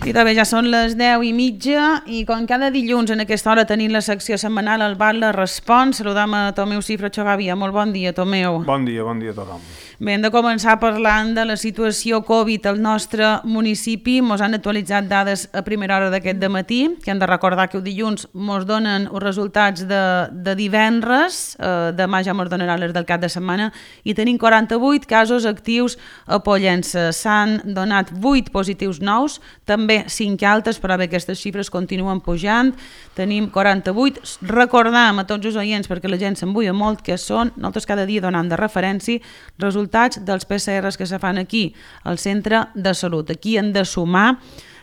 I també ja són les 10:30 i com cada dilluns en aquesta hora tenim la secció setmanal al Batlle Respon, saludam a Tomeu Cifra Xogàvia. Molt bon dia, Tomeu. Bon dia a tothom. Bé, hem de començar parlant de la situació Covid al nostre municipi. Mos han actualitzat dades a primera hora d'aquest dematí, que hem de recordar que el dilluns mos donen els resultats de divendres, demà ja mos donaran les del cap de setmana, i tenim 48 casos actius a Pollença. S'han donat 8 positius nous, també 5 altes, però bé, aquestes xifres continuen pujant. Tenim 48. Recordam a tots els oients, perquè la gent s'embuia molt, que són, nosaltres cada dia donant de referència, resultats dels PCRs que se fan aquí, al centre de salut. Aquí hem de sumar,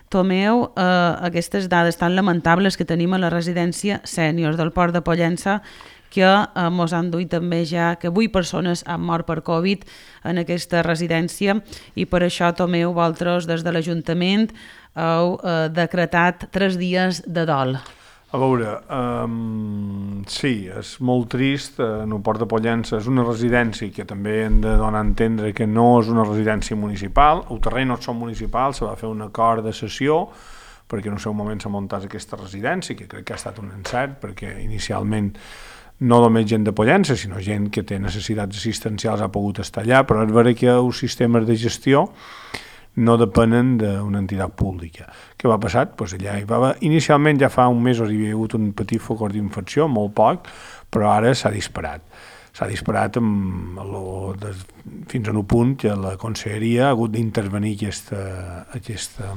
Tomeu, aquestes dades tan lamentables que tenim a la residència sènior del Port de Pollença, que mos han duit també ja que 8 persones han mort per Covid en aquesta residència, i per això, Tomeu, vosaltres des de l'Ajuntament heu decretat 3 dies de dol. A veure, sí, és molt trist. En el Port de Pollença és una residència que també hem de donar a entendre que no és una residència municipal. El terreny no són municipals, se va fer un acord de cessió perquè en el seu moment s'ha muntat aquesta residència, que crec que ha estat un encert, perquè inicialment no només gent de Pollença, sinó gent que té necessitats assistencials ha pogut estar allà, però és vera que els sistemes de gestió no depenen d'una entitat pública. Què va passar? Pues allà hi va haver, inicialment ja fa un mes hi havia hagut un petit focor d'infecció, molt poc, però ara s'ha disparat. S'ha disparat fins a un punt que la conselleria ha hagut d'intervenir aquesta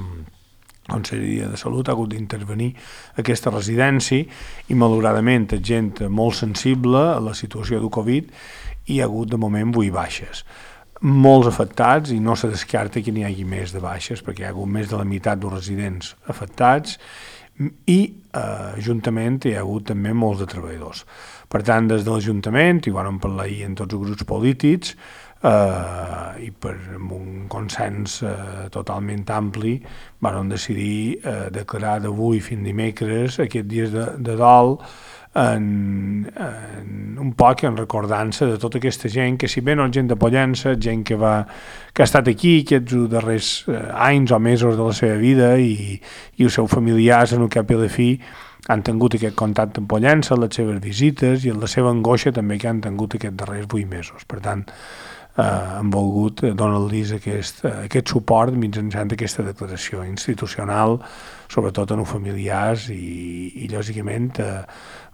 Conselleria de Salut ha hagut d'intervenir aquesta residència i malauradament és gent molt sensible a la situació del Covid i hi ha hagut de moment 8 baixes. Molts afectats i no se descarta que n'hi hagi més de baixes perquè hi ha hagut més de la meitat dels residents afectats i juntament hi ha hagut també molts de treballadors. Per tant, des de l'Ajuntament, i vam parlar ahir en tots els grups polítics i per un consens totalment ampli vam decidir declarar d'avui fins dimecres aquests dies de dol un poc en recordança de tota aquesta gent que, si bé no és gent de Pollença, gent que ha estat aquí aquests darrers anys o mesos de la seva vida i els seus familiars en el cap i a la fi han tingut aquest contacte amb Pollença, les seves visites i la seva angoixa també que han tingut aquests darrers 8 mesos. Per tant, hem volgut donar-los aquest suport mitjançant aquesta declaració institucional, sobretot en els familiars i lògicament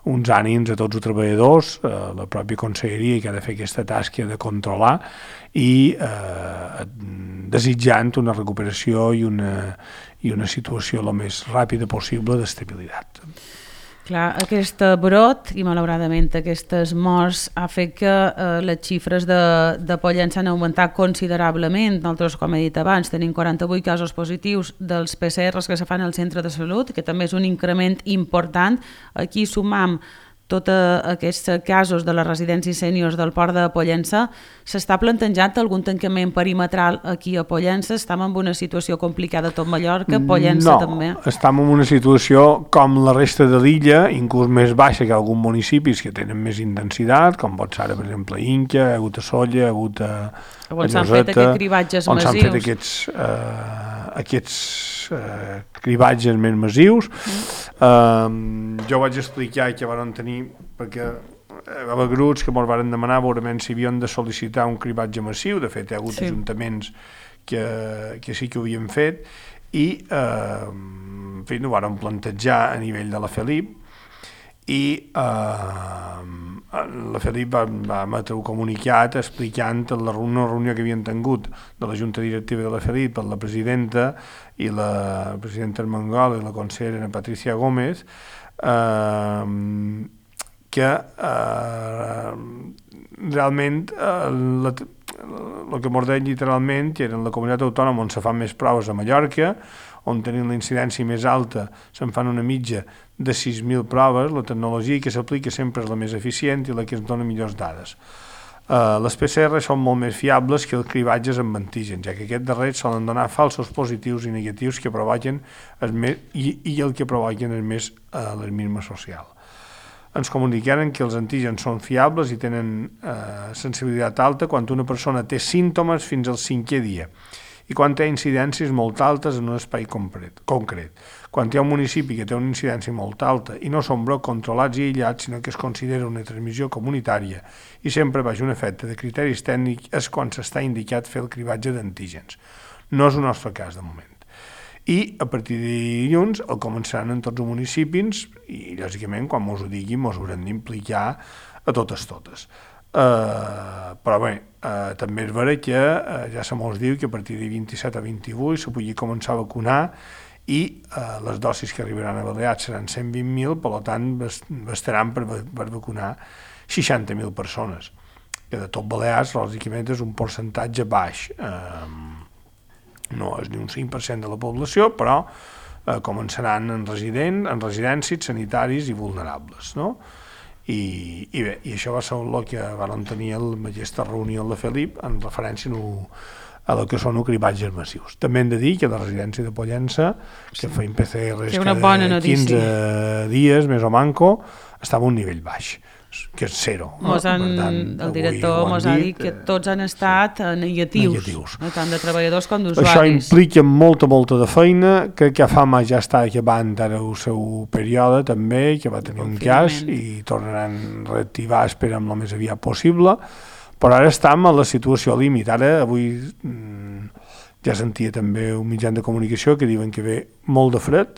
uns ànims a tots els treballadors, la pròpia conselleria que ha de fer aquesta tasca de controlar i desitjant una recuperació i una situació el més ràpida possible d'estabilitat. Clar, aquest brot i malauradament aquestes morts ha fet que les xifres de Pollença han augmentat considerablement. Nosaltres, com he dit abans, tenim 48 casos positius dels PCRs que se fan al centre de salut, que també és un increment important. Aquí sumam tots aquests casos de les residències sèniors del Port de Pollença. S'està plantejant algun tancament perimetral aquí a Pollença? Estem en una situació complicada a tot Mallorca, Pollença també? No, estem en una situació com la resta de l'illa, inclús més baixa que alguns municipis que tenen més intensitat, com pot ser, per exemple, Inca, ha hagut a Solla, ha hagut a Lloseta, on s'han fet aquests cribatges massius. On s'han fet aquests cribatges més massius. Jo vaig explicar que van tenir, perquè hi va haver grups que ens van demanar veurement si havien de sol·licitar un cribatge massiu. De fet, hi ha hagut ajuntaments que sí que ho havien fet i en fi, ho van plantejar a nivell de la Felip i la Felip va emetre un comunicat explicant una reunió que havien tingut de la Junta Directiva de la Felip per la presidenta i la presidenta Armengol i la consellera Patricia Gómez que realment el que ens deien literalment que en la comunitat autònoma on se fan més proves a Mallorca, on tenim la incidència més alta, se'n fan una mitja de 6.000 proves, la tecnologia que s'aplica sempre és la més eficient i la que ens dona millors dades. Les PCR són molt més fiables que els cribatges amb antígens, ja que aquests darrers solen donar falsos positius i negatius que provoquen i el que provoquen és més l'alarmisme social. ens comunicaren que els antígens són fiables i tenen sensibilitat alta quan una persona té símptomes fins al 5è dia i quan té incidències molt altes en un espai concret. Quan hi ha un municipi que té una incidència molt alta i no són brots controlats i aïllats, sinó que es considera una transmissió comunitària i sempre baix un efecte de criteris tècnics, és quan s'està indicat fer el cribatge d'antígens. No és el nostre cas de moment. I a partir de dilluns el començaran en tots els municipis i lògicament quan mos ho diguin mos haurem d'implicar a totes. Però bé, també és vera que ja se mos diu que a partir de 27 a 28 se pugui començar a vacunar i les dosis que arribaran a Balears seran 120.000, per tant bastaran per vacunar 60.000 persones, que de tot Balears lògicament és un percentatge baix. No és ni un 5% de la població, però començaran en residències, sanitaris i vulnerables, no? I bé, i això va ser el que vam tenir en aquesta reunió de Felip en referència a lo que són els cribatges massius. També hem de dir que la residència de Pollença, que feien PCRs cada 15 dies, més o manco, estava a un nivell baix, que és zero. El director ens ha dit que tots han estat negatius. Tant de treballadors com d'usuaris. Això implica molta de feina, que FAMA ja està acabant ara el seu període també, que va tenir un cas i tornaran a reactivar, esperem, el més aviat possible, però ara estem a la situació límit. Ara, avui ja sentia també un mitjà de comunicació que diuen que ve molt de fred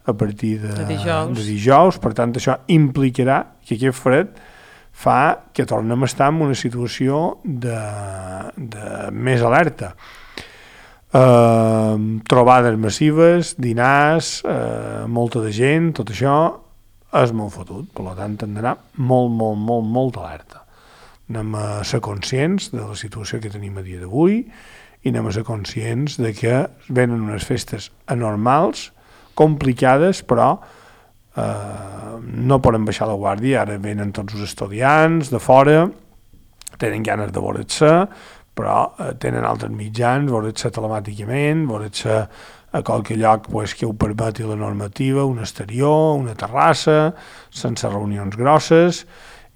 a partir de dijous, per tant això implicarà que aquest fred fa que tornem a estar en una situació de més alerta. Trobades massives, dinars, molta de gent, tot això és molt fotut, per tant hem d'anar molt alerta. Anem a ser conscients de la situació que tenim a dia d'avui i anem a ser conscients de que venen unes festes anormals, complicades, però no podem baixar la guàrdia. Ara venen tots els estudiants de fora, tenen ganes de veure's, però tenen altres mitjans, veure's telemàticament, veure's a qualque lloc que ho permeti la normativa, un exterior, una terrassa, sense reunions grosses,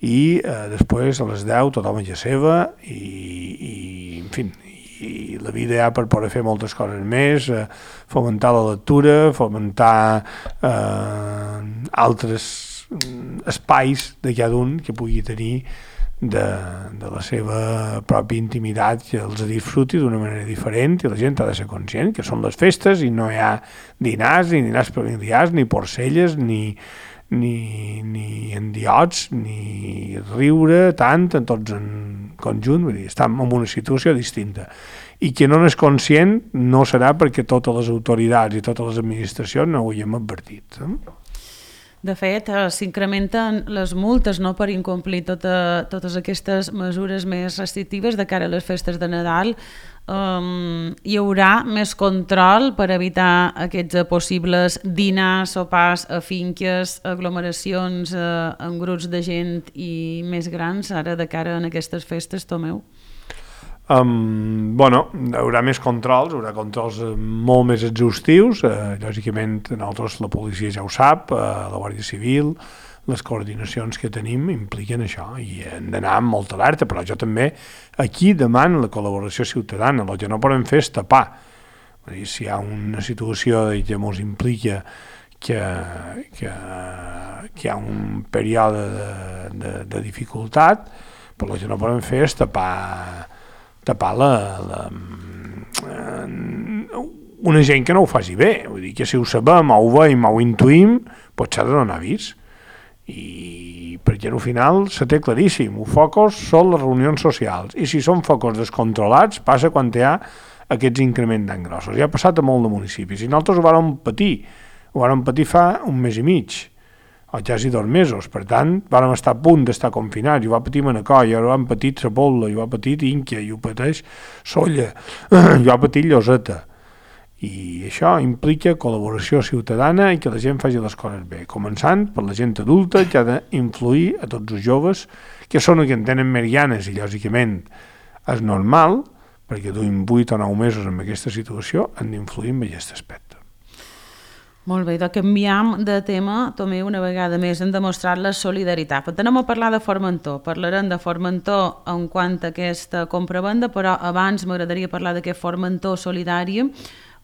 i després a les 10 tothom a la seva i en fi, i la vida ja per poder fer moltes coses més, fomentar la lectura, fomentar altres espais de cada un que pugui tenir de la seva pròpia intimitat, que els disfruti d'una manera diferent, i la gent ha de ser conscient que són les festes i no hi ha dinars, ni dinars familiars, ni porcelles, ni endiots, ni riure tant, en tots en conjunt, vull dir, estem en una situació distinta. I qui no n'és conscient no serà perquè totes les autoritats i totes les administracions no ho hem advertit. De fet, s'incrementen les multes per incomplir totes aquestes mesures més restrictives de cara a les festes de Nadal. Hi haurà més control per evitar aquests possibles dinars, sopars a finques, aglomeracions en grups de gent i més grans ara de cara a aquestes festes, Tomeu? Hi haurà més controls, haurà controls molt més exhaustius, lògicament nosaltres la policia ja ho sap, la Guàrdia Civil, les coordinacions que tenim impliquen això i hem d'anar amb molta alerta, però jo també aquí demano la col·laboració ciutadana. El que no podem fer és tapar. Si hi ha una situació que ens implica que hi ha un període de dificultat, però el que no podem fer és tapar una gent que no ho faci bé. Vull dir que si ho sabem, ho veiem, ho intuïm, potser ha de donar avís. I perquè al final se té claríssim, els focus són les reunions socials, i si són focus descontrolats passa quan hi ha aquests increments tan grossos. Ja ha passat a molt de municipis i nosaltres ho vàrem patir fa un mes i mig o quasi 2 mesos, per tant vàrem estar a punt d'estar confinats, i ho va patir Manacor, i ho han patit Sa Pobla, i ho ha patit Inca, i ho pateix Sóller, i ho ha patit Lloseta. I això implica col·laboració ciutadana i que la gent faci les coses bé, començant per la gent adulta, que ha d'influir a tots els joves, que són els que en tenen més ganes, i lògicament és normal, perquè duim 8 o 9 mesos en aquesta situació, han d'influir en aquest aspecte. Molt bé, doncs canviem de tema, també una vegada més hem demostrat la solidaritat. Però anem a parlar de Formentor. Parlarem de Formentor en quant a aquesta compra-venda, però abans m'agradaria parlar d'aquest Formentor Solidari,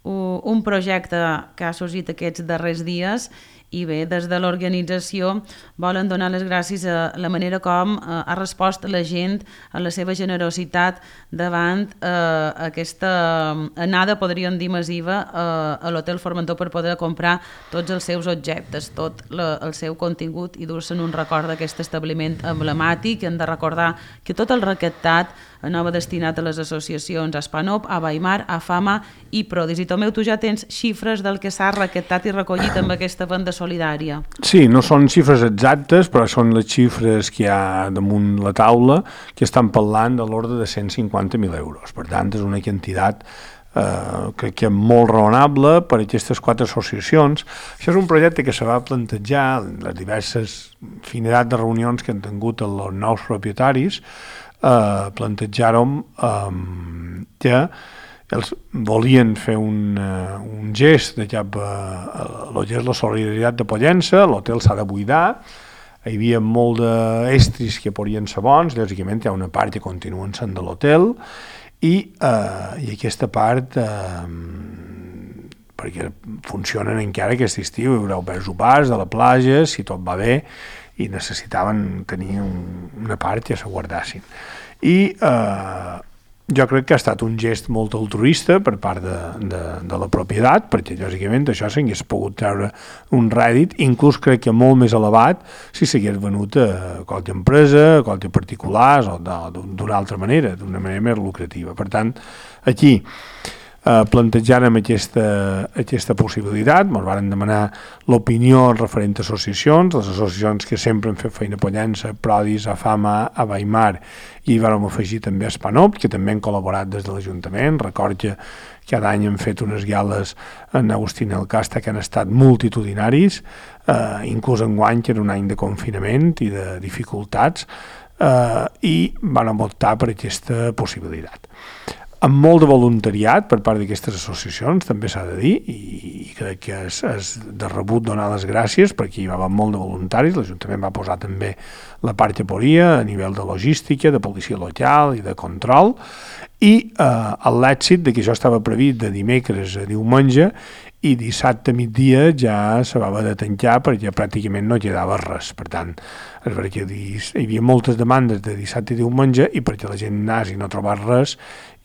un projecte que ha sorgit aquests darrers dies i bé, des de l'organització volen donar les gràcies a la manera com ha respost la gent, a la seva generositat davant aquesta anada, podríem dir, massiva a l'Hotel Formentor per poder comprar tots els seus objectes, tot el seu contingut i dur-se'n un record d'aquest establiment emblemàtic. Hem de recordar que tot el recaptat anava destinat a les associacions Aspanop, a Weimar, a Fama i Prodis. I Tomeu, tu ja tens xifres del que s'ha recaptat i recollit amb aquesta venda solidària. Sí, no són xifres exactes, però són les xifres que hi ha damunt la taula, que estan parlant de l'ordre de 150.000 euros. Per tant, és una quantitat crec que molt raonable per a aquestes 4 associacions. Això és un projecte que se va plantejar en les diverses finalitats de reunions que han tingut els nous propietaris. Plantejàrem que els volien fer un gest de cap a la solidaritat de Pollença. L'hotel s'ha de buidar, hi havia molt d'estris que podrien ser bons, lògicament hi ha una part que continuen sent de l'hotel i aquesta part perquè funcionen encara aquest estiu, hi haurà oberts sopars de la platja, si tot va bé, i necessitaven tenir una part que se guardassin. I jo crec que ha estat un gest molt altruista per part de la propietat, perquè lògicament això s'hagués pogut treure un rèdit, inclús crec que molt més elevat si s'hagués venut a qualque empresa, a qualque particulars o d'una altra manera, d'una manera més lucrativa. Per tant, aquí plantejàrem aquesta possibilitat, ens van demanar l'opinió referent a associacions, les associacions que sempre han fet feina a Pollença, Prodis, a Fama, a Weimar, i hi vam afegir també a Aspanop, que també han col·laborat des de l'Ajuntament. Record que cada any han fet unes gales en Agustín el Casta que han estat multitudinaris, inclús enguany, que era un any de confinament i de dificultats, i van optar per aquesta possibilitat. Amb molt de voluntariat per part d'aquestes associacions, també s'ha de dir, i crec que és de rebut donar les gràcies perquè hi va haver molt de voluntaris. L'Ajuntament va posar també la part que podia a nivell de logística, de policia local i de control, i l'èxit de que això estava previst de dimecres a diumenge i dissabte a migdia ja se va haver de tancar perquè pràcticament no quedava res. Per tant, és perquè hi havia moltes demandes de dissabte i diumenge i perquè la gent anés i no trobés res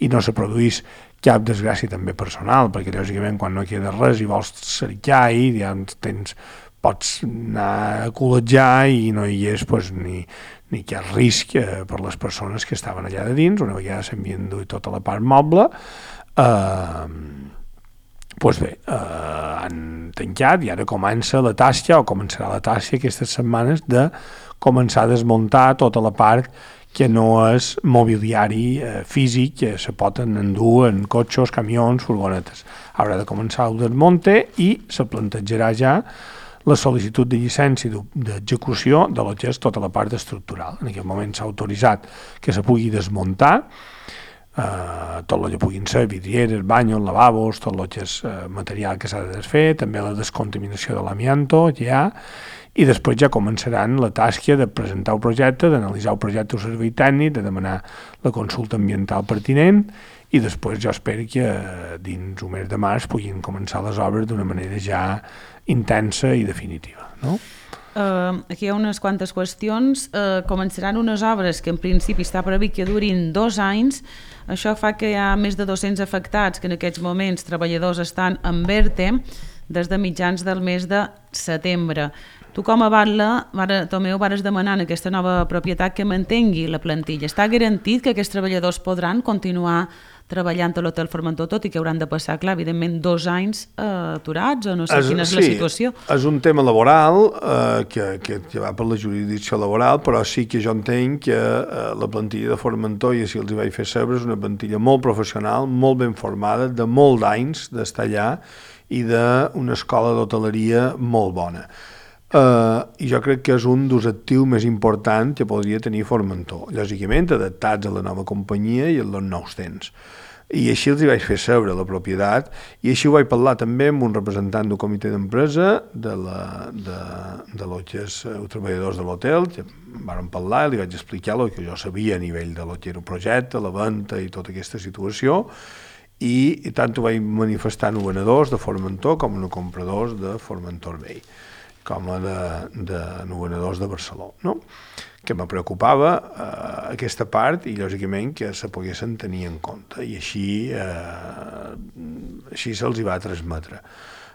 i no se produís cap desgràcia també personal, perquè lògicament quan no queda res i vols cercar i ja pots anar a col·legiar i no hi és ni cap risc per les persones que estaven allà de dins. Una vegada s'havien duit tota la part moble, doncs bé, han tancat i ara comença la tasca, o començarà la tasca aquestes setmanes de començar a desmuntar tota la part que no és mobiliari físic, que se pot endur en cotxes, camions, furgonetes. Haurà de començar el desmunte i se plantejarà ja la sol·licitud de llicència d'execució de lo que és tota la part estructural. En aquest moment s'ha autoritzat que se pugui desmuntar tot el que puguin ser vidrieres, banyos, lavabos, tot el que és material que s'ha de desfer, també la descontaminació de l'amianto que hi ha, i després ja començaran la tasca de presentar el projecte, d'analitzar el projecte o servei tècnic, de demanar la consulta ambiental pertinent, i després jo espero que dins un mes de març puguin començar les obres d'una manera ja intensa i definitiva, no? Aquí hi ha unes quantes qüestions. Començaran unes obres que en principi està previst que durin 2 anys. Això fa que hi ha més de 200 afectats que en aquests moments treballadors estan en ERTE des de mitjans del mes de setembre. Tu com a batlle, Tomeu, vares demanar en aquesta nova propietat que mantengui la plantilla. Està garantit que aquests treballadors podran continuar treballant a l'Hotel Formentor, tot i que hauran de passar, clar, evidentment, 2 anys aturats, o no sé quina és la situació. Sí, és un tema laboral que va per la jurisdicció laboral, però sí que jo entenc que la plantilla de Formentor, i si els hi vaig fer saber, és una plantilla molt professional, molt ben formada, de molts anys d'estar allà i d'una escola d'hoteleria molt bona. I jo crec que és un dels actius més importants que podria tenir Formentor, lògicament adaptats a la nova companyia i als nous temps. I així els hi vaig fer saber la propietat, i així ho vaig parlar també amb un representant del comitè d'empresa de los que és treballadors de l'hotel, que vam parlar i li vaig explicar el que jo sabia a nivell de lo que era el projecte, la venda i tota aquesta situació, i tant ho vaig manifestar en venedors de Formentor com en compradors de Formentor Bay, com a de venedors de Barcelona, no? Que me preocupava aquesta part i lògicament que se poguessin tenir en compte, i així se'ls hi va transmetre.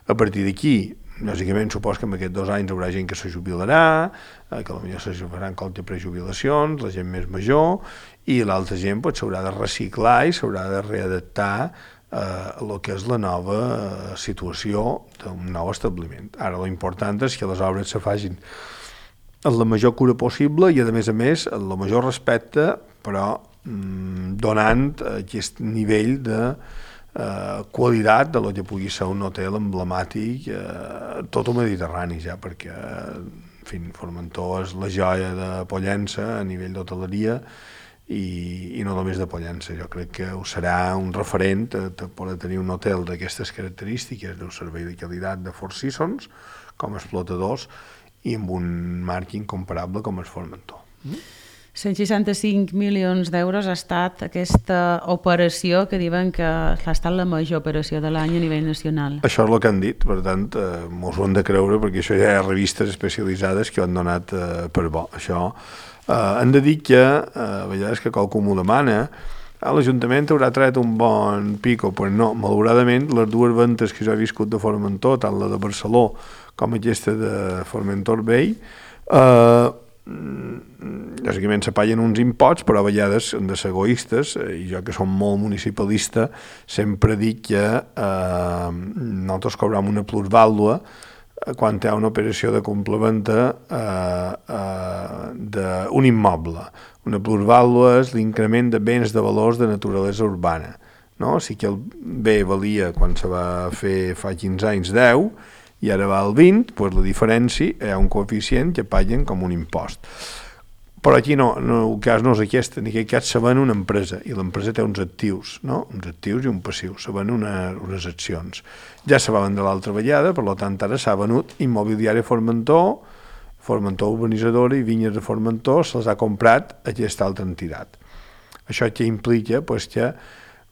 A partir d'aquí, lògicament, supos que en aquests 2 anys hi haurà gent que se jubilarà, que potser se faran qualque prejubilacions, la gent més major, i l'altra gent s'haurà de reciclar i s'haurà de readaptar a el que és la nova situació d'un nou establiment. Ara, l'important és que les obres se facin amb la major cura possible i, a més, amb el major respecte, però donant aquest nivell de qualitat de lo que pugui ser un hotel emblemàtic tot el Mediterrani, ja, perquè en fi, Formentor és la joia de Pollença a nivell d'hoteleria i no només de Pollença. Jo crec que ho serà un referent per tenir un hotel d'aquestes característiques, d'un servei de qualitat de Four Seasons com a explotadors i amb un marc incomparable com és Formentor. 165 milions d'euros ha estat aquesta operació que diuen que ha estat la major operació de l'any a nivell nacional. Això és el que han dit, per tant, mos ho hem de creure, perquè això ja hi ha revistes especialitzades que ho han donat per bo. Això hem de dir que, a vegades que qualcú m'ho demana, l'Ajuntament haurà tret un bon pico, però no, malauradament, les 2 ventes que jo he viscut de Formentor, tant la de Barcelona com aquesta de Formentor Bay, lògicament se paguen uns imposts, però a vegades han de ser egoistes, i jo que som molt municipalista sempre dic que nosaltres cobrem una plusvàlua quan hi ha una operació de complementa d'un immoble. Una plusvàlua és l'increment de béns de valors de naturalesa urbana, no? Si que el bé valia quan se va fer fa 15 anys 10 i ara va al 20, doncs la diferència hi ha un coeficient que paguen com un impost. Però aquí no, el cas no és aquest, en aquest cas se ven una empresa, i l'empresa té uns actius, no? Uns actius i un passiu, se ven unes accions. Ja se va vendre l'altra vegada, per tant ara s'ha venut Immobiliària Formentor, Formentor Urbanitzadora i Vinyes de Formentor, se'ls ha comprat aquesta altra entitat. Això que implica que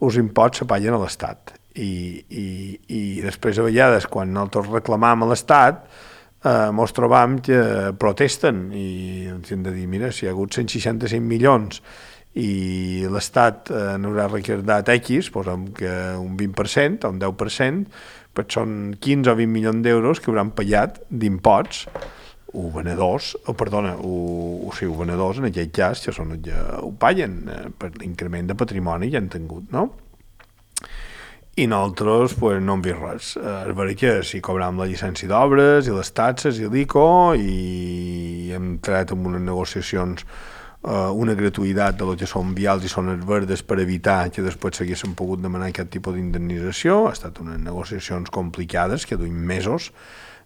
els imposts se paguen a l'Estat, i després a vegades quan nosaltres reclamam a l'Estat mos trobam que protesten i ens hem de dir, mira, si hi ha hagut 165 milions i l'Estat n'haurà recardat X, posem que un 20% o un 10%, doncs són 15 o 20 milions d'euros que hauran pagat d'imposts venedors en aquell cas, que són els que ho paguen per l'increment de patrimoni que han tingut, no? I nosaltres no hem vist res. És veritat que si cobrem la llicència d'obres i les taxes i l'ICO i hem tret amb unes negociacions una gratuïtat de lo que són vials i zones verdes per evitar que després s'haguessin pogut demanar aquest tipus d'indemnització. Ha estat unes negociacions complicades que duim mesos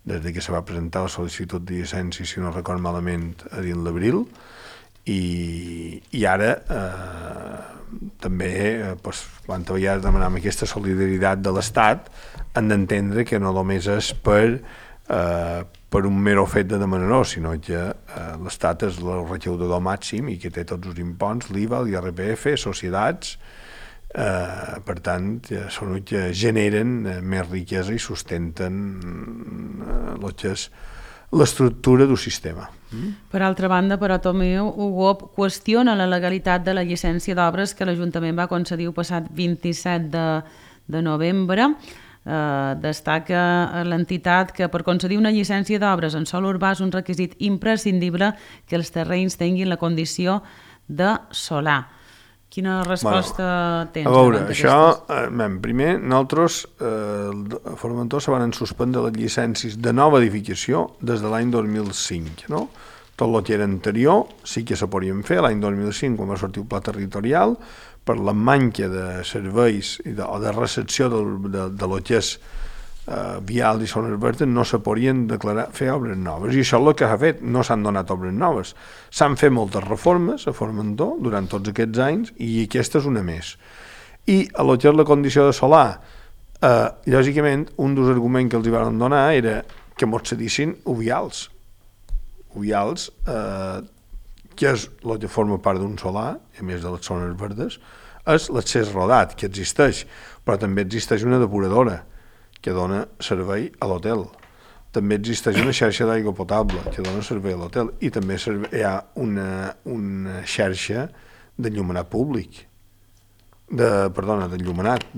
des que se va presentar la sol·licitud de llicència, si no record malament, a dins l'abril, i ara també quan vegades demanem aquesta solidaritat de l'Estat hem d'entendre que no només és per un mero fet de demanar-ho, sinó que l'Estat és el recaudador màxim i que té tots els imposts, l'IVA, l'IRPF, societats, per tant són els que generen més riquesa i sustenten el que és l'estructura del sistema. Per altra banda, però, Tomeu, UGOP qüestiona la legalitat de la llicència d'obres que l'Ajuntament va concedir el passat 27 de novembre. Destaca l'entitat que per concedir una llicència d'obres en sòl urbà és un requisit imprescindible que els terrenys tinguin la condició de solar. Quina resposta tens? A veure, això, primer, nosaltres a Formentor se van suspendre les llicències de nova edificació des de l'any 2005, no? Tot el que era anterior sí que se podien fer, l'any 2005, quan va sortir el pla territorial, per la manca de serveis o de recepció de lo que és vial i zones verdes, no se podien fer obres noves, i això és el que s'ha fet, no s'han donat obres noves. S'han fet moltes reformes a Formentor durant tots aquests anys, i aquesta és una més. I a lo que és la condició de solar, lògicament, un dels arguments que els hi van donar era que mos cedissin uvials. Uvials, que és el que forma part d'un solar, a més de les zones verdes, és l'accés rodat, que existeix, però també existeix una depuradora que dona servei a l'hotel. També existeix una xarxa d'aigua potable que dona servei a l'hotel i també hi ha una xarxa d'enllumenat públic, d'enllumenat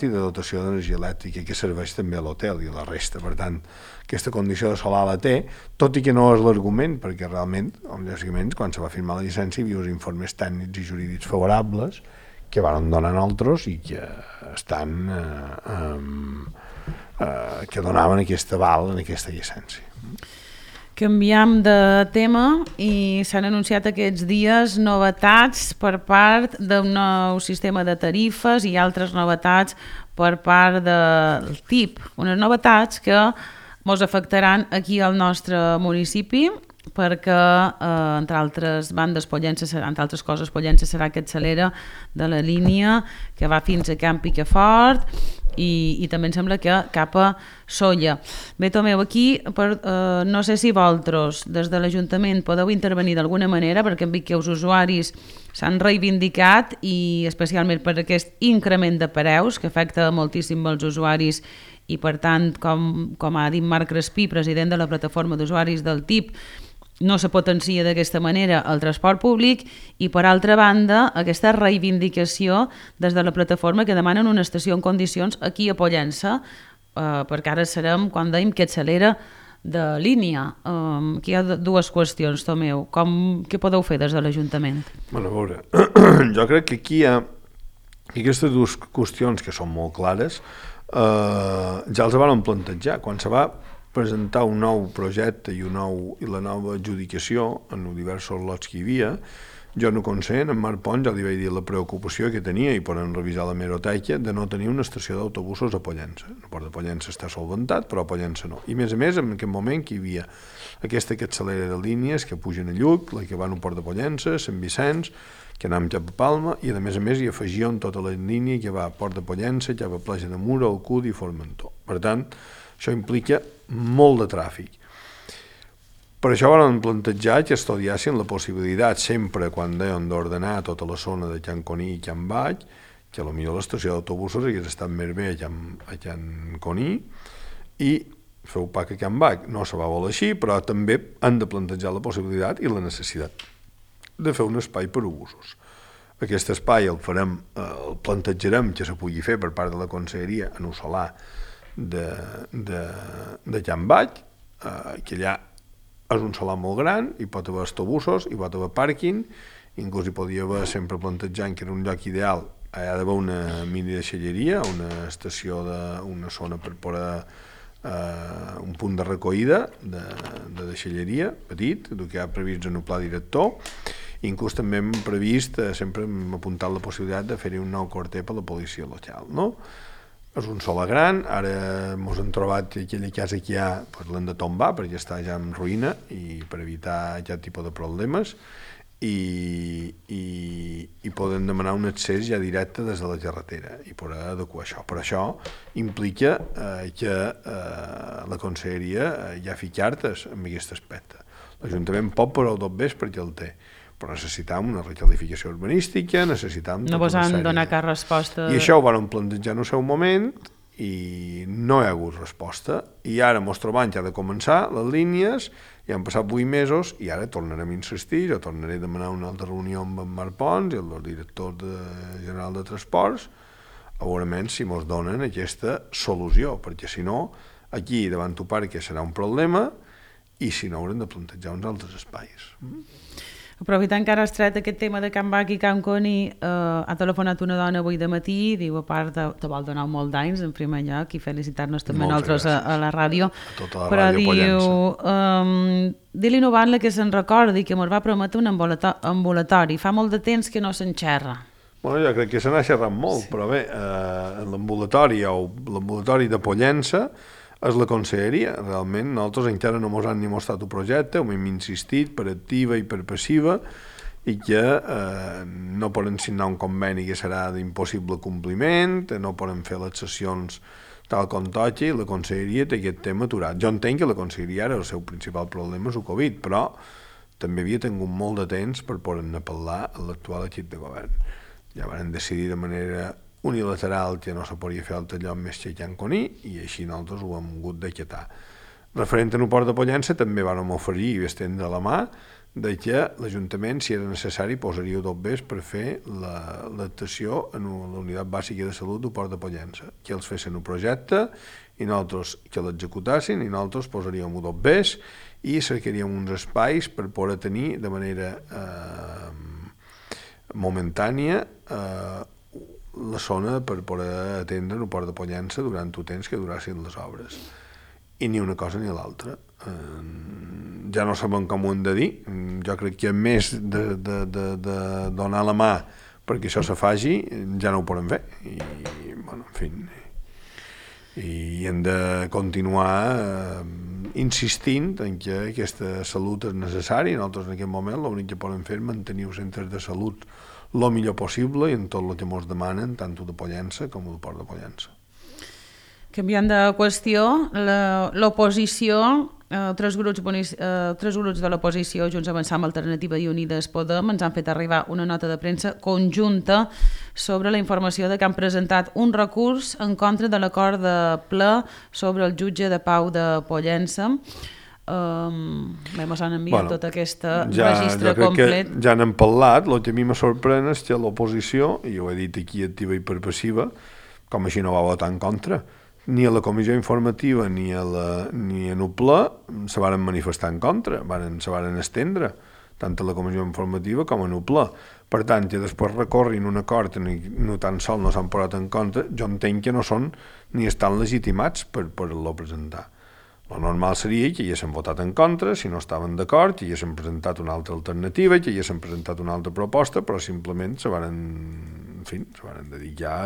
i de dotació d'energia elèctrica que serveix també a l'hotel i a la resta. Per tant, aquesta condició de solar la té, tot i que no és l'argument, perquè realment, lògicament, quan se va firmar la llicència hi havia uns informes tècnics i jurídics favorables que van donar altres i que estan que donaven aquest aval en aquesta llicència. Canviem de tema i s'han anunciat aquests dies novetats per part d'un nou sistema de tarifes i altres novetats per part del TIP. Unes novetats que ens afectaran aquí al nostre municipi perquè, entre altres bandes, entre altres coses, Pollença serà que accelera de la línia que va fins a Camp Picafort i també em sembla que cap a Sóller. Bé, Tomeu, aquí no sé si vosaltres des de l'Ajuntament podeu intervenir d'alguna manera, perquè hem vist que els usuaris s'han reivindicat i especialment per aquest increment de preus que afecta moltíssim els usuaris i per tant, com ha dit Marc Crespí, president de la plataforma d'usuaris del TIP, no se potencia d'aquesta manera el transport públic i, per altra banda, aquesta reivindicació des de la plataforma que demanen una estació en condicions aquí a Pollença, perquè ara serem, quan dèiem, que accelera de línia. Aquí hi ha dues qüestions, Tomeu. Què podeu fer des de l'Ajuntament? Bueno, a veure, jo crec que aquí hi ha aquestes dues qüestions que són molt clares, ja els van plantejar. Quan se va presentar un nou projecte i la nova adjudicació en els diversos lots que hi havia, jo no consent, en Marc Pons ja li vaig dir la preocupació que tenia, i poden revisar la meroteca, de no tenir una estació d'autobusos a Pollença. El port de Pollença està solventat, però a Pollença no. I a més, en aquest moment que hi havia aquesta que accelera de línies que pugen a Lluc, la que van al port de Pollença, Sant Vicenç, que anàvem cap a Palma, i a més hi afegien tota la línia que va a Port de Pollença, cap a Pleja de Mura, Alcúdia i Formentor. Per tant, això implica molt de tràfic. Per això van plantejar que estudiassin la possibilitat, sempre quan deien d'ordenar tota la zona de Can Coní i Can Baix, que potser l'estació d'autobusos hagués estat més bé a Can Coní i fer un pack a Can Baix. No se va voler així, però també han de plantejar la possibilitat i la necessitat de fer un espai per obusos. Aquest espai el plantejarem que se pugui fer per part de la Conselleria en un solar de Can Baix, que allà és un solar molt gran, hi pot haver autobusos, hi pot haver pàrquing, inclús hi podia haver, sempre plantejant que era un lloc ideal, hi ha d'haver una mini deixalleria, una estació, una zona per posar un punt de recollida de deixalleria petit, el que hi ha previst en el pla director. Inclús també hem previst, sempre hem apuntat la possibilitat de fer-hi un nou quarter per la policia local, no? És un solar gran, ara ens hem trobat que aquella casa que hi ha l'hem de tombar perquè està ja en ruïna i per evitar aquest tipus de problemes i poden demanar un accés ja directe des de la carretera i poder adequar això. Però això implica que la Conselleria ja fiqui cartes en aquest aspecte. L'Ajuntament pot posar el 2 perquè el té, però necessitam una requalificació urbanística, necessitam... No vos han donat cap resposta... I això ho van plantejar en el seu moment i no hi ha hagut resposta. I ara ens trobem que ha de començar les línies, i han passat 8 mesos i ara tornarem a insistir, jo tornaré a demanar una altra reunió amb en Marc Pons i el director general de Transports, a veure si ens donen aquesta solució, perquè si no, aquí davant tu parc serà un problema i si no haurem de plantejar uns altres espais. Aprofitant que ara has tret aquest tema de Can Baix i Can Coni, ha telefonat una dona avui de matí, diu, a part, te vol donar molt d'anys en primer lloc i felicitar-nos també nosaltres a la ràdio, però diu, di-li Noval que se'n recordi que ens va prometre un ambulatori, fa molt de temps que no s'enxerra. Bueno, jo crec que se n'ha xerrat molt, però bé, l'ambulatori o l'ambulatori de Pollença és la Conselleria. Realment nosaltres encara no ens han ni mostrat un projecte, ho hem insistit per activa i per passiva i que no poden signar un conveni que serà d'impossible compliment, no poden fer les sessions tal com toqui, i la conselleria té aquest tema aturat. Jo entenc que la conselleria ara el seu principal problema és el Covid, però també havia tingut molt de temps per poder-ne parlar a l'actual equip de govern. Ja van decidir de manera unilateral que no se podia fer altre lloc més que Can Coní, i així nosaltres ho hem hagut d'aquietar. Referent a Port de Pollença, també vam oferir i estendre la mà de que l'Ajuntament, si era necessari, posaria tot bé per fer l'adaptació en la unitat bàsica de salut del Port de Pollença, que els fessin un projecte i nosaltres que l'executassin, i nosaltres posaríem tot bé i cercaríem uns espais per poder tenir de manera momentània la zona per poder atendre el Port de Pollença durant el temps que durassin les obres. I ni una cosa ni l'altra. Ja no sabem com ho hem de dir. Jo crec que més de donar la mà perquè això se faci, ja no ho podem fer. I, bueno, en fi, i hem de continuar insistint en que aquesta salut és necessària, i nosaltres en aquest moment l'únic que podem fer és mantenir els centres de salut el millor possible i en tot el que ens demanen, tant de Pollença com el Port de Pollença. Canviant de qüestió, l'oposició, tres grups de l'oposició, Junts Avançam, Alternativa i Unides Podem, ens han fet arribar una nota de premsa conjunta sobre la informació de que han presentat un recurs en contra de l'acord de ple sobre el jutge de pau de Pollença. Ens han enviat tot aquest registre complet. Ja n'hem parlat. El que a mi me sorprèn és que l'oposició, i ho he dit aquí activa i per passiva, com així no va votar en contra, ni a la comissió informativa ni en el ple se van manifestar en contra, se van estendre, tant a la comissió informativa com en el ple. Per tant, que després recorrin un acord i no tan sol no s'han posat en contra, jo entenc que no són ni estan legitimats per poder-lo presentar. El normal seria que hi haguessin votat en contra, si no estaven d'acord, que hi haguessin presentat una altra alternativa, que hi haguessin presentat una altra proposta, però simplement se van dedicar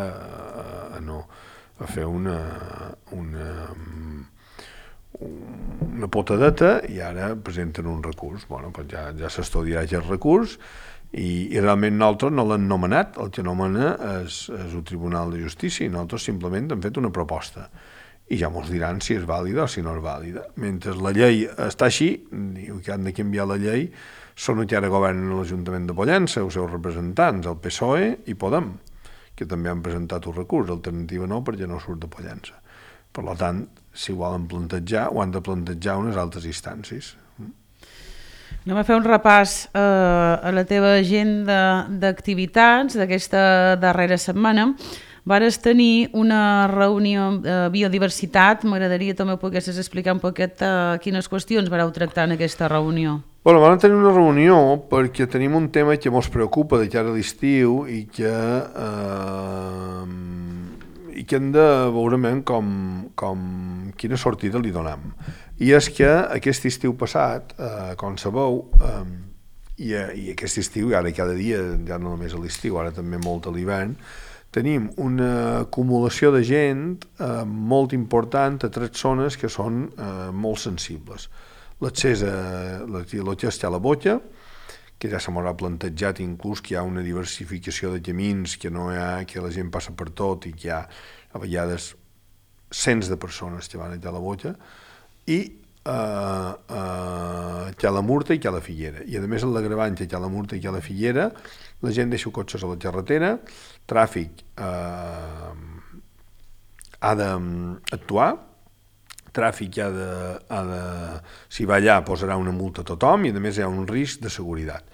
a fer una potadeta, i ara presenten un recurs. Bueno, pues ja s'estudiarà aquest recurs, i realment nosaltres no l'hem nomenat, el que nomena és el Tribunal de Justícia, i nosaltres simplement hem fet una proposta, i ja ens diran si és vàlida o si no és vàlida. Mentre la llei està així, diu que han de canviar la llei, són els que ara governen l'Ajuntament de Pollença, els seus representants, el PSOE i Podem, que també han presentat un recurs, Alternativa no, perquè no surt de Pollença. Per tant, si ho volen plantejar, ho han de plantejar unes altres instàncies. Anem a fer un repàs a la teva agenda d'activitats d'aquesta darrera setmana. Vares tenir una reunió de biodiversitat. M'agradaria també que poguessis explicar un poquet quines qüestions vareu tractar en aquesta reunió. Bueno, vam tenir una reunió perquè tenim un tema que ens preocupa de cara a l'estiu i que hem de veure quina sortida li donem. I és que aquest estiu passat, com sabeu, i aquest estiu, ara cada dia, ja no només a l'estiu, ara també molt a l'hivern, tenim una acumulació de gent molt important a 3 zones que són molt sensibles. L'accés a la Botja, que ja se m'haurà plantejat inclús que hi ha una diversificació de camins, que no hi ha, que la gent passa per tot i que hi ha a vegades cents de persones que van a la Botja, i que a la Murta i que a la Figuera. I a més en l'agravant que a la Murta i que a la Figuera la gent deixa cotxes a la carretera, tràfic ha d'actuar, tràfic si va allà posarà una multa a tothom, i a més hi ha un risc de seguretat.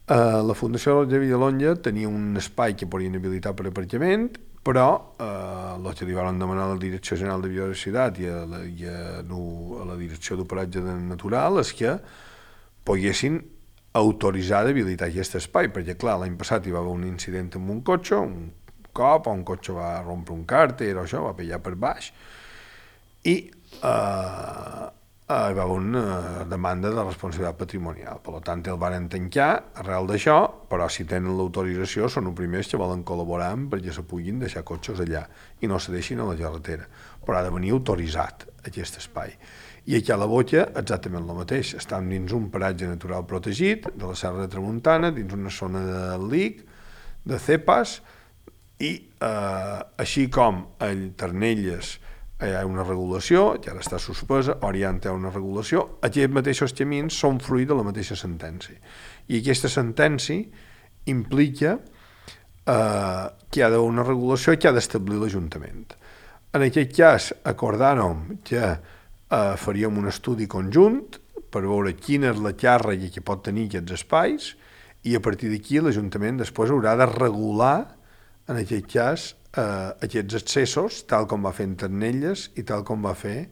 La Fundació de Villalonga tenia un espai que podien habilitar per aparcament, però el que li van demanar a la Direcció General de Biodiversitat i a la Direcció d'Operatge Natural és que poguessin autoritzar d'habilitar aquest espai, perquè clar, l'any passat hi va haver un incident amb un cotxe, un cop, un cotxe va rompre un càrter o això, va pillar per baix, i hi va haver una demanda de responsabilitat patrimonial. Per tant, el van tancar arrel d'això, però si tenen l'autorització són els primers que volen col·laborar perquè se puguin deixar cotxes allà i no se deixin a la carretera. Però ha de venir autoritzat aquest espai. I aquí a la Botja exactament el mateix. Estem dins un paratge natural protegit de la Serra de Tramuntana, dins una zona de LIC, de CEPAS, i així com a Ternelles hi ha una regulació, que ara està suspesa, Orient hi ha una regulació, aquests mateixos camins són fruit de la mateixa sentència. I aquesta sentència implica que hi ha d'haver una regulació que ha d'establir l'Ajuntament. En aquest cas, acordàrem que faríem un estudi conjunt per veure quina és la càrrega que pot tenir aquests espais i a partir d'aquí l'Ajuntament després haurà de regular, en aquest cas, aquests accessos, tal com va fer en Ternelles i tal com va fer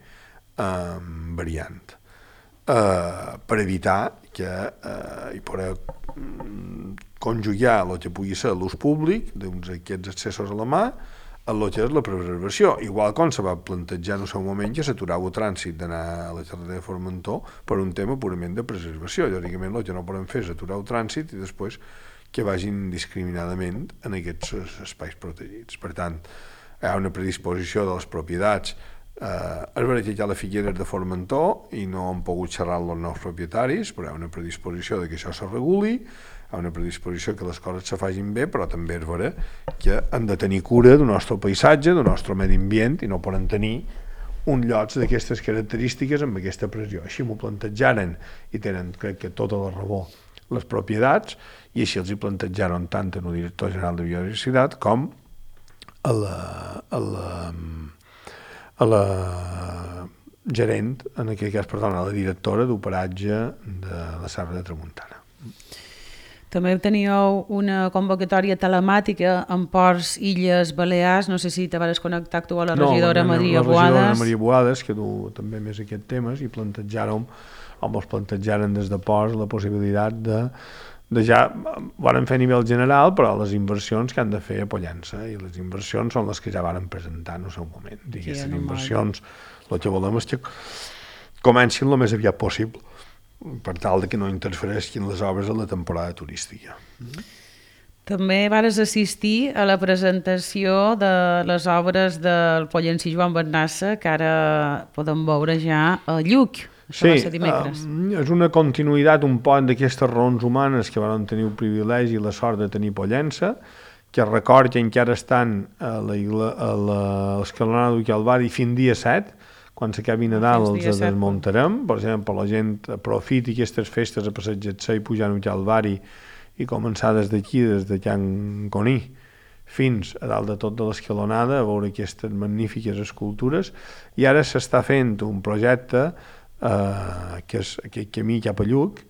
en Variant, per evitar que hi poder conjugar el que pugui ser l'ús públic d'aquests accessos a la mà en el que és la preservació, igual com se va plantejar en el seu moment que s'aturava el trànsit d'anar a la carretera de Formentor per un tema purament de preservació. Lògicament el que no podem fer és aturar el trànsit i després que vagin discriminadament en aquests espais protegits. Per tant, hi ha una predisposició de les propietats. És veritat que hi ha la Figueres de Formentor i no han pogut xerrar amb els nous propietaris, però hi ha una predisposició de que això se reguli, hi ha una predisposició que les coses se facin bé, però també és veritat que han de tenir cura del nostre paisatge, del nostre medi ambient, i no poden tenir un llocs d'aquestes característiques amb aquesta pressió. Així m'ho plantejaren i tenen, crec que, tota la raó les propietats, i així els hi plantejaren tant en el director general de Biodiversitat com a la gerent, en aquest cas, perdona, a la directora d'operatge de la Serra de Tramuntana. També teníeu una convocatòria telemàtica en Ports, Illes, Balears, no sé si te vas connectar tu a la regidora Maria Boades. La regidora Maria Boades, que du també més aquest temes, i plantejàrem, o ens plantejaren des de Ports la possibilitat de ja van fer a nivell general, però les inversions que han de fer a Pollença, i les inversions són les que ja van presentar en el seu moment. I aquestes inversions, el que volem és que comencin el més aviat possible, per tal que no interfereixin les obres a la temporada turística. També vas assistir a la presentació de les obres del pollencí Joan Bernassa, que ara podem veure ja a Lluc. Sí, és una continuïtat un poc d'aquestes raons humanes que van tenir el privilegi i la sort de tenir Pollença, que record que encara estan a l'escalonada del Calvari fins dia 7, quan s'acabi Nadal els desmuntarem. Per exemple, la gent aprofiti aquestes festes a passejar-se i pujar al Calvari i començar des d'aquí, des de Can Coní, fins a dalt de tot de l'escalonada, a veure aquestes magnífiques escultures. I ara s'està fent un projecte que és aquest camí cap a Lluc,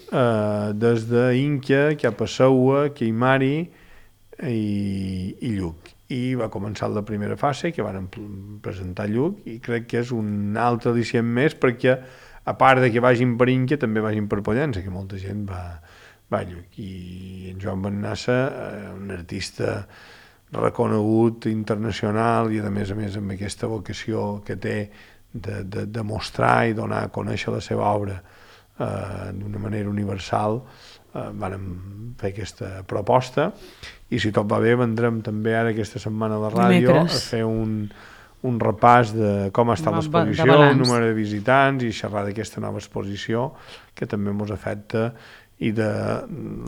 des d'Inca cap a Seua, Queimari i Lluc. I va començar la primera fase, que van presentar Lluc, i crec que és un altre al·licient més, perquè a part de que vagin per Inca, també vagin per Pollença, que molta gent va a Lluc. I en Joan Bernassa, un artista reconegut internacional i a més amb aquesta vocació que té de mostrar i donar a conèixer la seva obra d'una manera universal, vam fer aquesta proposta, i si tot va bé vendrem també ara aquesta setmana a la ràdio a fer un repàs de com ha estat l'exposició, el número de visitants, i xerrar d'aquesta nova exposició que també ens afecta, i de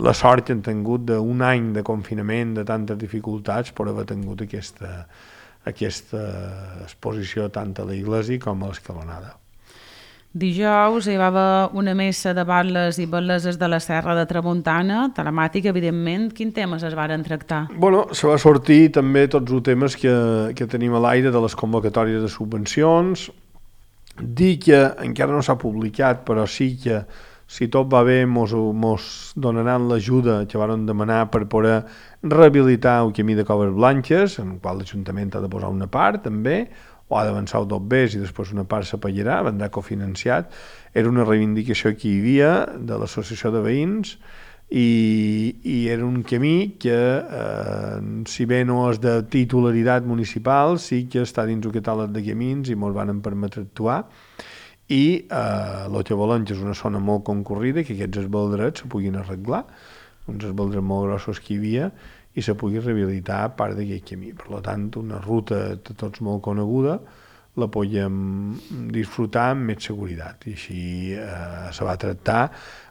la sort que hem tingut d'un any de confinament, de tantes dificultats, per haver tingut aquesta exposició tant a l'església com a l'escalonada. Dijous hi va haver una messa de batlles i batleses de la Serra de Tramuntana, telemàtica, evidentment. Quins temes es varen tractar? Se va sortir també tots els temes que tenim a l'aire de les convocatòries de subvencions. Dir que encara no s'ha publicat, però sí que si tot va bé mos donaran l'ajuda que van demanar per poder rehabilitar el camí de Coves Blanques, en el qual l'Ajuntament ha de posar una part també, o ha d'avançar el dobbers i després una part se pagarà, vendrà cofinanciat. Era una reivindicació que hi havia de l'associació de veïns, i era un camí que, si bé no és de titularitat municipal, sí que està dins el catàleg de camins i ens van permetre actuar. i el que volem és una zona molt concurrida, que aquests esbaldrets se puguin arreglar, uns esbaldrets molt grossos que hi havia, i se pugui rehabilitar part d'aquest camí. Per tant, una ruta de tots molt coneguda la podem disfrutar amb més seguretat. I així se va tractar.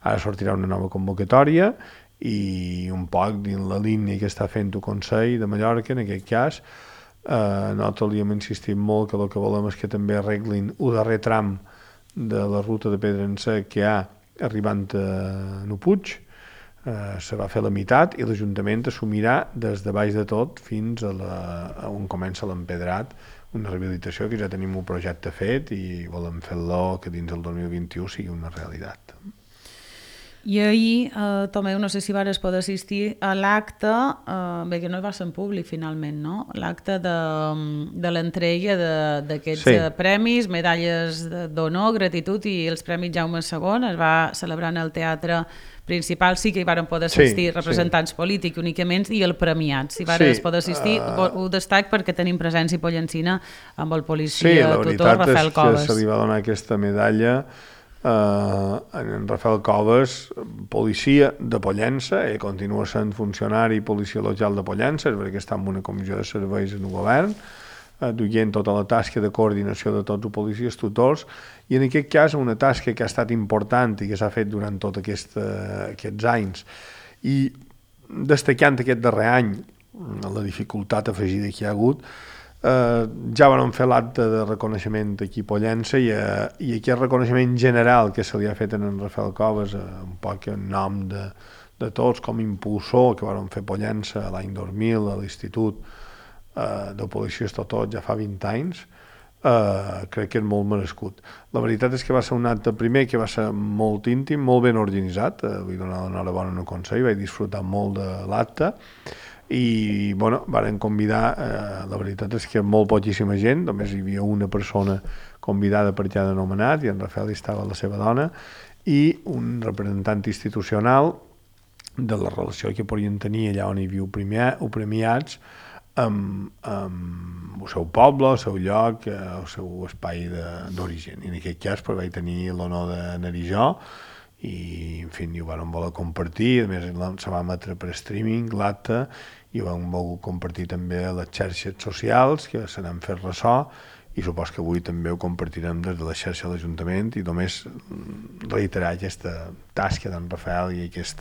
Ara sortirà una nova convocatòria i un poc dins la línia que està fent el Consell de Mallorca, en aquest cas, nosaltres li hem insistit molt que el que volem és que també arreglin el darrer tram de la ruta de Pedrença que hi ha arribant a Nupuig. Se va fer la meitat i l'Ajuntament assumirà des de baix de tot fins a on comença l'empedrat, una rehabilitació que ja tenim un projecte fet i volem fer-lo que dins del 2021 sigui una realitat. I ahir, Tomeu, no sé si vas poder assistir a l'acte, bé que no va ser en públic finalment, no? L'acte de l'entrega d'aquests premis, medalles d'honor, gratitud i els premis Jaume II, es va celebrar en el teatre principal, sí que hi van poder assistir representants polítics únicament i el premiat. Si van poder assistir, ho destac perquè tenim presència pollencina amb el policia tutor Rafael Coves. Sí, la veritat és que se li va donar aquesta medalla en Rafael Coves, policia de Pollença, ell continua sent funcionari policia local de Pollença, és perquè està en una comissió de serveis en el govern, duient tota la tasca de coordinació de tots els policies tutors, i en aquest cas una tasca que ha estat important i que s'ha fet durant tots aquests anys, i destacant aquest darrer any la dificultat afegida que hi ha hagut, ja van fer l'acte de reconeixement aquí a Pollença i aquest reconeixement general que se li ha fet en Rafael Coves, un poc en nom de tots, com impulsor que van fer Pollença l'any 2000 a l'Institut de Policia Estatal ja fa 20 anys, crec que és molt merescut. La veritat és que va ser un acte primer que va ser molt íntim, molt ben organitzat, vull donar l'enhorabona al Consell, vaig disfrutar molt de l'acte, i varen convidar, la veritat és que molt poquíssima gent, només hi havia una persona convidada per cada nomenat i en Rafael hi estava la seva dona i un representant institucional de la relació que podien tenir allà on hi havia premiats amb el seu poble, el seu lloc, el seu espai d'origen. I en aquest cas vaig tenir l'honor d'anar-hi jo i en fi, ho vam voler compartir, a més se va emetre per streaming l'acte i ho vam voler compartir també a les xarxes socials que se n'han fet ressò i supos que avui també ho compartirem des de la xarxa de l'Ajuntament i només reiterar aquesta tasca d'en Rafael i aquest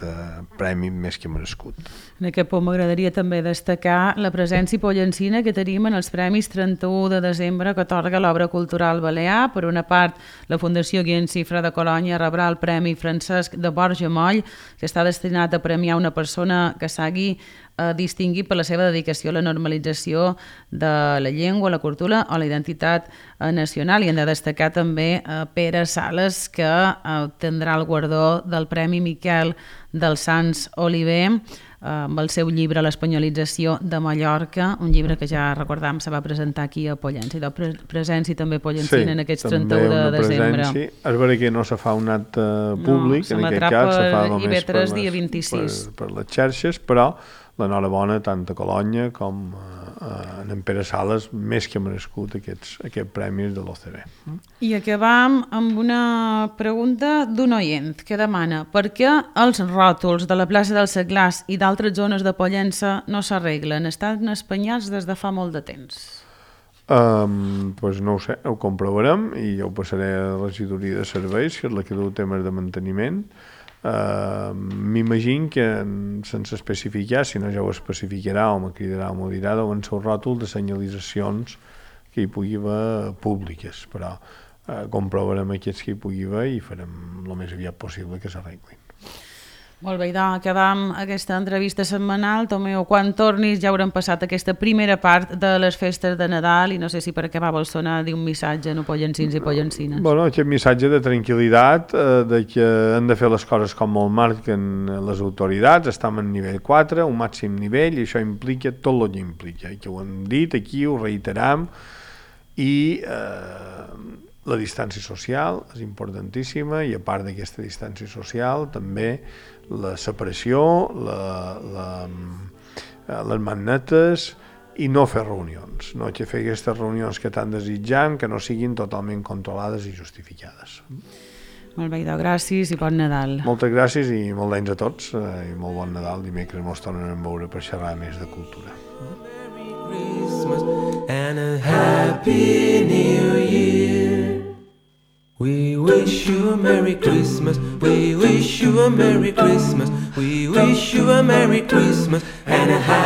premi més que merescut. En aquest punt m'agradaria també destacar la presència pollencina que tenim en els Premis 31 de desembre que atorga l'obra cultural balear. Per una part, la Fundació Guillem Cifra de Colònia rebrà el Premi Francesc de Borja Moll, que està destinat a premiar una persona que s'hagi distingit per la seva dedicació a la normalització de la llengua, la cultura o la identitat nacional. I hem de destacar també Pere Sales, que tindrà el guardó del Premi Miquel dels Sants Oliver amb el seu llibre L'espanyolització de Mallorca, un llibre que ja recordam se va presentar aquí a Pollença. I presència també pollencina en aquests 31 de desembre. Sí, és vera que no se fa un acte públic, en aquest cas se fa només per les xarxes, però l'enhorabona tant a Colònia com en Pere Sales, més que merescut aquests premis de l'OCB. I acabam amb una pregunta d'un oient que demana per què els ròtols de la plaça del Seglars i d'altres zones de Pollença no s'arreglen? Estan espanyats des de fa molt de temps. Doncs no ho sé, ho comprovarem i jo ho passaré a la regidoria de serveis, que és la que du temes de manteniment. M'imagino que sense especificar, si no ja ho especificarà o me cridarà o m'ho dirà, deuen ser un ròtol de senyalitzacions que hi pugui haver públiques, però comprovarem aquests que hi pugui haver i farem el més aviat possible que s'arreglin. Molt bé, doncs acabam aquesta entrevista setmanal. Tomeu, quan tornis ja haurem passat aquesta primera part de les festes de Nadal i no sé si per acabar vols donar un missatge a pollencins i pollencines. Bueno, aquest missatge de tranquil·litat, de que hem de fer les coses com el marquen les autoritats, estem en nivell 4, un màxim nivell, i això implica tot el que implica, i que ho hem dit aquí, ho reiteram, i la distància social és importantíssima i a part d'aquesta distància social també la separació, les magnetes i no fer reunions, no que fer aquestes reunions que tant desitjam, que no siguin totalment controlades i justificades. Molt bé, gràcies i bon Nadal. Moltes gràcies i molt d'anys a tots i molt bon Nadal. Dimecres mos tornem a veure per xerrar més de cultura. Merry Christmas and a Happy New Year. We wish you a Merry Christmas. We wish you a Merry Christmas. We wish you a Merry Christmas and a